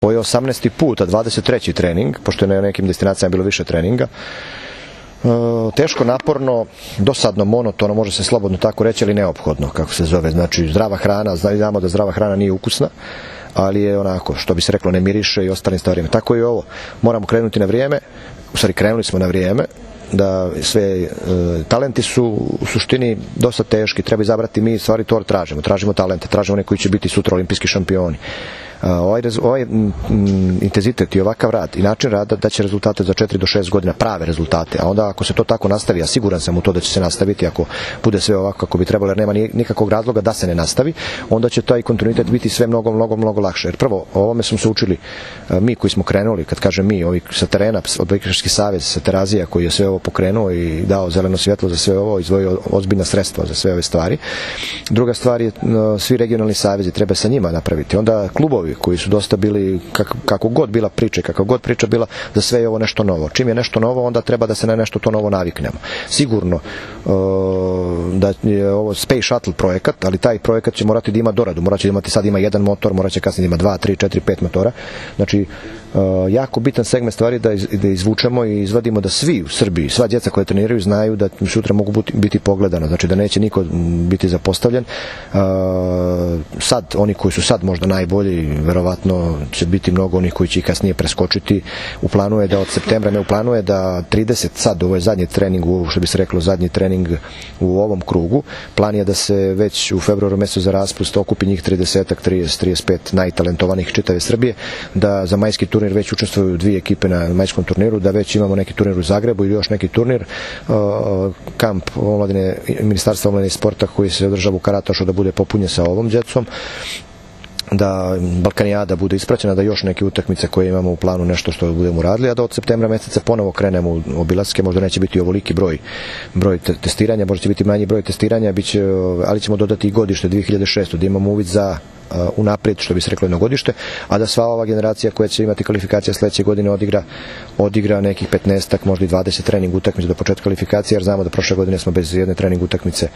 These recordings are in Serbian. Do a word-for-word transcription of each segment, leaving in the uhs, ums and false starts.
Ovo je osamnaesti put, a dvadeset treći trening, pošto je na nekim destinacijama bilo više treninga. Teško, naporno, dosadno, monotono, može se slobodno tako reći, ali neophodno, kako se zove. Znači, zdrava hrana, znamo da zdrava hrana nije ukusna, ali je onako, što bi se reklo, ne miriše i ostalim stvarima. Tako i ovo. Moramo krenuti na vrijeme, u stvari krenuli smo na vrijeme, da sve e, talenti su u suštini dosta teški, treba izabrati, mi stvari to tražimo, tražimo talente, tražimo one koji će biti sutra olimpijski šampioni. Ovaj, ovaj m, m, intenzitet i ovakav rad i način rada daće rezultate za četiri do šest godina, prave rezultate, a onda ako se to tako nastavi, a siguran sam u to da će se nastaviti, ako bude sve ovako kako bi trebalo, jer nema nikakvog razloga da se ne nastavi, onda će taj kontinuitet biti sve mnogo, mnogo, mnogo lakše. Jer prvo, o ovome smo se učili mi koji smo krenuli, kad kažem mi, ovi sa terena, Odbojkaški savez sa Terazija koji je sve ovo pokrenuo i dao zeleno svjetlo za sve ovo, izdvojio ozbiljna sredstva za sve ove stvari. Druga stvar je, svi regionalni savezi, treba sa njima napraviti. Onda klubovi koji su dosta bili, kako, kako god bila priča, kako god priča bila, za sve je ovo nešto novo. Čim je nešto novo, onda treba da se na nešto to novo naviknemo. Sigurno uh, da je ovo Space Shuttle projekat, ali taj projekat će morati da ima doradu. Morat će imati, sad ima jedan motor, morat će kasnije da ima dva, tri, četiri, pet motora. Znači, Uh, jako bitan segment stvari da, iz, da izvučemo i izvadimo da svi u Srbiji, sva djeca koje treniraju znaju da sutra mogu biti, biti pogledana, znači da neće niko biti zapostavljen. Uh, sad, oni koji su sad možda najbolji, verovatno će biti mnogo onih koji će ih kasnije preskočiti. U planu je da od septembra, ne u planu je da trideset, sad ovo je zadnji trening, što bi se reklo zadnji trening u ovom krugu, plan je da se već u februaru mjesecu za raspust okupi njih trideset, trideset, trideset pet najtalentovanih čitave Srbije, da za majski turnir već učestvuju dvije ekipe na majskom turniru, da već imamo neki turnir u Zagrebu ili još neki turnir, uh, kamp omladine, Ministarstva omladine i sporta koji se održava u Karatašu da bude popunjen sa ovom djecom, da Balkanijada bude ispraćena, da još neke utakmice koje imamo u planu nešto što budemo radili, a da od septembra mjeseca ponovo krenemo u obilaske, možda neće biti ovoliki broj, broj testiranja, možda će biti manji broj testiranja, biće, ali ćemo dodati i godište dvije hiljade šeste. da imamo uvid za uh, unaprijed, što bi se reklo, jedno godište, a da sva ova generacija koja će imati kvalifikacija sljedeće godine odigra, odigra nekih petnaestak, možda i dvadeset trening utakmica do početka kvalifikacije, jer znamo da prošle godine smo bez jedne trening utakmice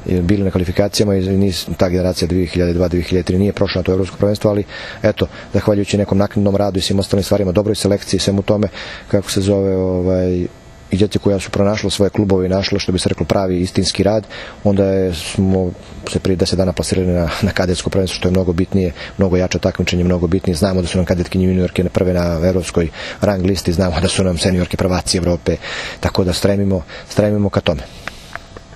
bili na kvalifikacijama i nis, ta generacija dvije hiljade dva dvije hiljade tri nije prošla na to evropsko prvenstvo, ali eto, zahvaljujući nekom naknadnom radu i svim ostalim stvarima, dobroj selekciji i svemu tome, kako se zove, ovaj, i djece koja su pronašla svoje klubove i našla, što bi se reklo, pravi istinski rad, onda je, smo se prije deset dana plasirali na, na kadetsko prvenstvo, što je mnogo bitnije, mnogo jače takmičenje, mnogo bitnije. Znamo da su nam kadetkinje juniorke prve na evropskoj rang listi, znamo da su nam seniorke prvaci Evrope, tako da stremimo, stremimo ka tome.